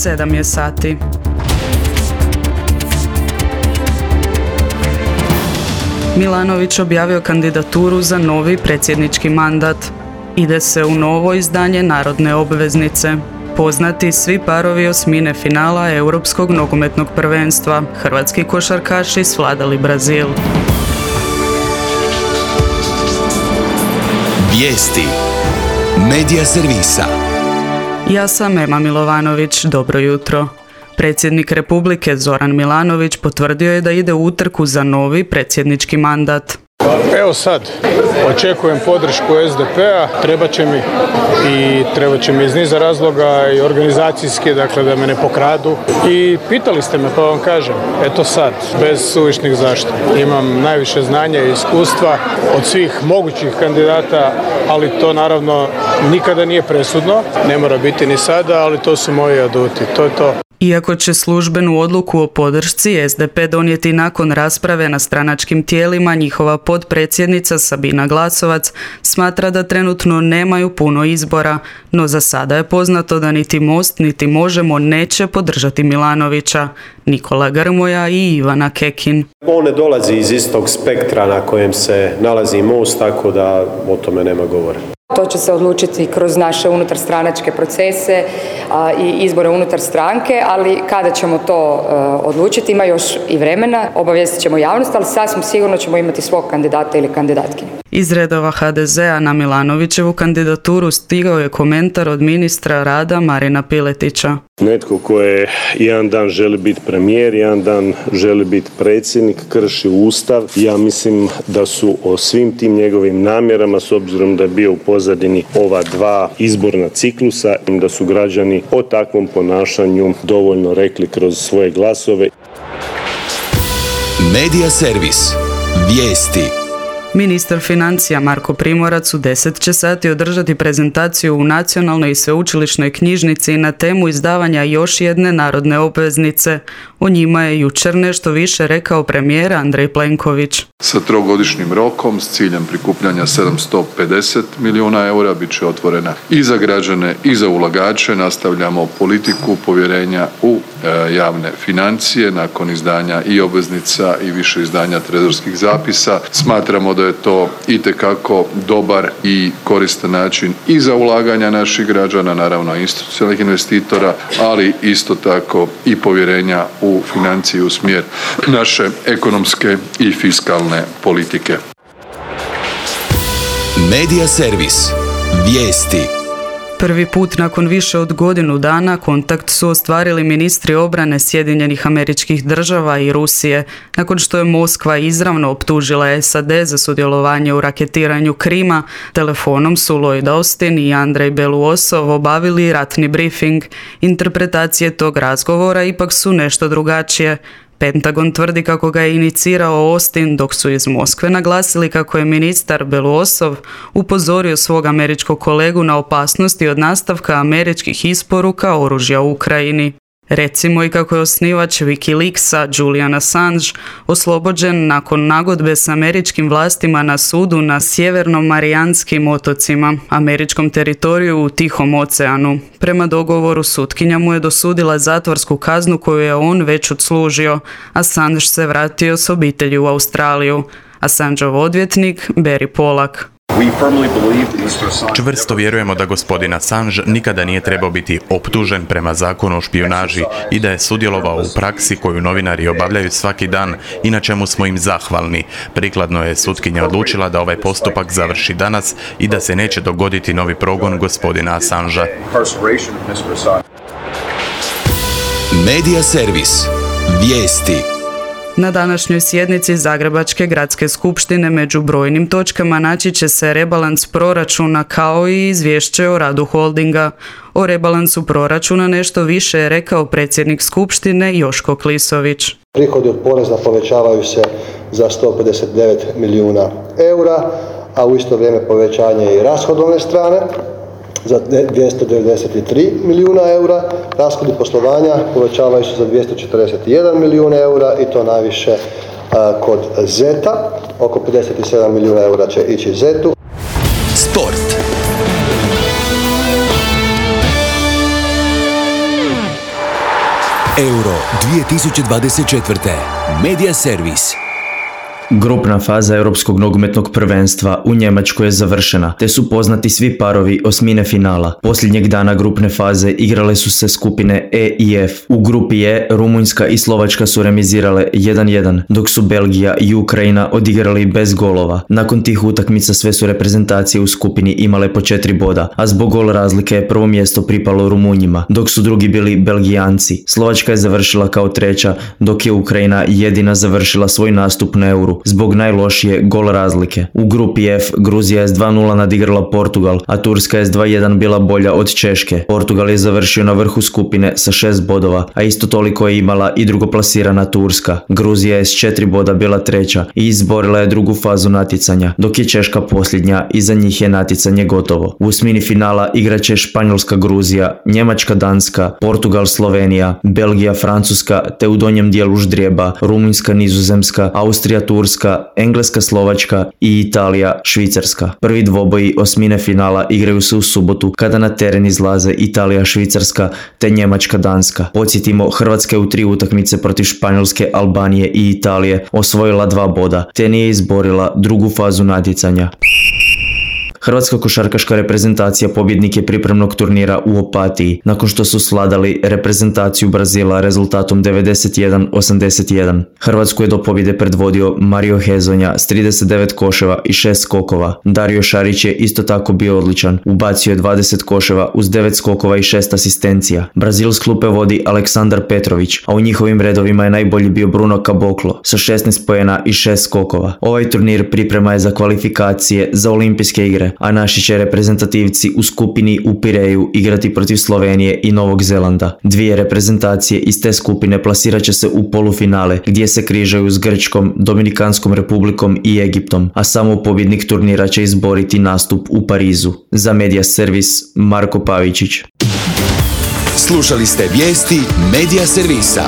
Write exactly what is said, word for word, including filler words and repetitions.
sedam je sati. Milanović objavio kandidaturu za novi predsjednički mandat. Ide se u novo izdanje Narodne obveznice. Poznati svi parovi osmine finala Europskog nogometnog prvenstva. Hrvatski košarkaši svladali Brazil. Vijesti Medija servisa. Ja sam Ema Milovanović, dobro jutro. Predsjednik Republike Zoran Milanović potvrdio je da ide u utrku za novi predsjednički mandat. Evo sad, očekujem podršku es de pe-a, treba će mi i treba će mi iz niza razloga i organizacijski, dakle da me ne pokradu. I pitali ste me pa vam kažem, eto sad, bez suvišnih zaštita. Imam najviše znanja i iskustva od svih mogućih kandidata, ali to naravno nikada nije presudno, ne mora biti ni sada, ali to su moji aduti, to je to. Iako će službenu odluku o podršci es de pe donijeti nakon rasprave na stranačkim tijelima, njihova potpredsjednica Sabina Glasovac smatra da trenutno nemaju puno izbora, no za sada je poznato da niti Most niti Možemo neće podržati Milanovića. Nikola Grmoja i Ivana Kekin. On ne dolazi iz istog spektra na kojem se nalazi Most, tako da o tome nema govora. To će se odlučiti kroz naše unutarstranačke procese a, i izbore unutar stranke, ali kada ćemo to a, odlučiti, ima još i vremena, obavijestit ćemo javnost, ali sasvim sigurno ćemo imati svog kandidata ili kandidatkinju. Iz redova ha de zea na Milanovićevu kandidaturu stigao je komentar od ministra rada Marina Piletića. Netko ko je jedan dan želi biti premijer, jedan dan želi biti predsjednik, krši Ustav. Ja mislim da su o svim tim njegovim namjerama, s obzirom da je bio u pozadini ova dva izborna ciklusa, da su građani o takvom ponašanju dovoljno rekli kroz svoje glasove. Medija servis. Vijesti. Ministar financija Marko Primorac u deset će sati održati prezentaciju u Nacionalnoj i sveučilišnoj knjižnici na temu izdavanja još jedne narodne obveznice. O njima je jučer nešto više rekao premijer Andrej Plenković. Sa trogodišnjim rokom s ciljem prikupljanja sedamsto pedeset milijuna eura bit će otvorena i za građane i za ulagače. Nastavljamo politiku povjerenja u e, javne financije nakon izdanja i obveznica i više izdanja trezorskih zapisa. Smatramo da je to itekako dobar i koristan način i za ulaganja naših građana, naravno institucionalnih investitora, ali isto tako i povjerenja u financije u smjer naše ekonomske i fiskalne politike. Medija servis. Vijesti. Prvi put nakon više od godinu dana kontakt su ostvarili ministri obrane Sjedinjenih Američkih Država i Rusije, nakon što je Moskva izravno optužila es a de za sudjelovanje u raketiranju Krima. Telefonom su Lloyd Austin i Andrej Belousov obavili ratni briefing. Interpretacije tog razgovora ipak su nešto drugačije. Pentagon tvrdi kako ga je inicirao Austin, dok su iz Moskve naglasili kako je ministar Belousov upozorio svog američkog kolegu na opasnosti od nastavka američkih isporuka oružja u Ukrajini. Recimo i kako je osnivač Wikileaksa Julian Assange oslobođen nakon nagodbe s američkim vlastima na sudu na Sjevernom Marijanskim otocima, američkom teritoriju u Tihom oceanu. Prema dogovoru sutkinja mu je dosudila zatvorsku kaznu koju je on već odslužio. Assange se vratio s obitelji u Australiju. Assangeov odvjetnik Barry Pollack. Čvrsto vjerujemo da gospodin Assange nikada nije trebao biti optužen prema zakonu o špijunaži i da je sudjelovao u praksi koju novinari obavljaju svaki dan i na čemu smo im zahvalni. Prikladno je sutkinja odlučila da ovaj postupak završi danas i da se neće dogoditi novi progon gospodina Assangea. Medija servis. Vijesti. Na današnjoj sjednici Zagrebačke gradske skupštine među brojnim točkama naći će se rebalans proračuna kao i izvješće o radu holdinga. O rebalansu proračuna nešto više je rekao predsjednik skupštine Joško Klisović. Prihodi od poreza povećavaju se za sto pedeset devet milijuna eura, a u isto vrijeme povećanje i rashodovne strane za dvjesto devedeset tri milijuna eura, rashodi poslovanja povećavaju se za dvjesto četrdeset jedan milijun eura i to najviše a, kod zeta, oko pedeset sedam milijuna eura će ići zetu. Sport. Euro dvije tisuće dvadeset četvrte. Media Servis. Grupna faza Europskog nogometnog prvenstva u Njemačkoj je završena, te su poznati svi parovi osmine finala. Posljednjeg dana grupne faze igrale su se skupine E i F. U grupi E Rumunjska i Slovačka su remizirale jedan jedan, dok su Belgija i Ukrajina odigrali bez golova. Nakon tih utakmica sve su reprezentacije u skupini imale po četiri boda, a zbog gol razlike je prvo mjesto pripalo Rumunjima, dok su drugi bili Belgijanci. Slovačka je završila kao treća, dok je Ukrajina jedina završila svoj nastup na Euru zbog najlošije gol razlike. U grupi F Gruzija je s dva nula nadigrala Portugal, a Turska je s dva jedan bila bolja od Češke. Portugal je završio na vrhu skupine sa šest bodova, a isto toliko je imala i drugoplasirana Turska. Gruzija je s četiri boda bila treća i izborila je drugu fazu natjecanja, dok je Češka posljednja i za njih je natjecanje gotovo. U osmini finala igraće Španjolska Gruzija, Njemačka Danska, Portugal Slovenija, Belgija Francuska, te u donjem dijelu ždrijeba Rumunjska Nizozemska, Austrija Turska, Engleska Slovačka i Italija Švicarska. Prvi dvoboji osmine finala igraju se u subotu kada na teren izlaze Italija Švicarska te Njemačka Danska. Podsjetimo, Hrvatska je u tri utakmice protiv Španjolske, Albanije i Italije osvojila dva boda te nije izborila drugu fazu natjecanja. Hrvatska košarkaška reprezentacija pobjednik je pripremnog turnira u Opatiji, nakon što su sladali reprezentaciju Brazila rezultatom devedeset jedan osamdeset jedan. Hrvatsku je do pobjede predvodio Mario Hezonja s trideset devet koševa i šest skokova. Dario Šarić je isto tako bio odličan, ubacio je dvadeset koševa uz devet skokova i šest asistencija. Brazil s klupe vodi Aleksandar Petrović, a u njihovim redovima je najbolji bio Bruno Caboclo sa šesnaest poena i šest skokova. Ovaj turnir priprema je za kvalifikacije za olimpijske igre, a naši će reprezentativci u skupini u Pireju igrati protiv Slovenije i Novog Zelanda. Dvije reprezentacije iz te skupine plasirat će se u polufinale, gdje se križaju s Grčkom, Dominikanskom republikom i Egiptom, a samo pobjednik turnira će izboriti nastup u Parizu. Za Media Servis, Marko Pavičić. Slušali ste vijesti Media Servisa.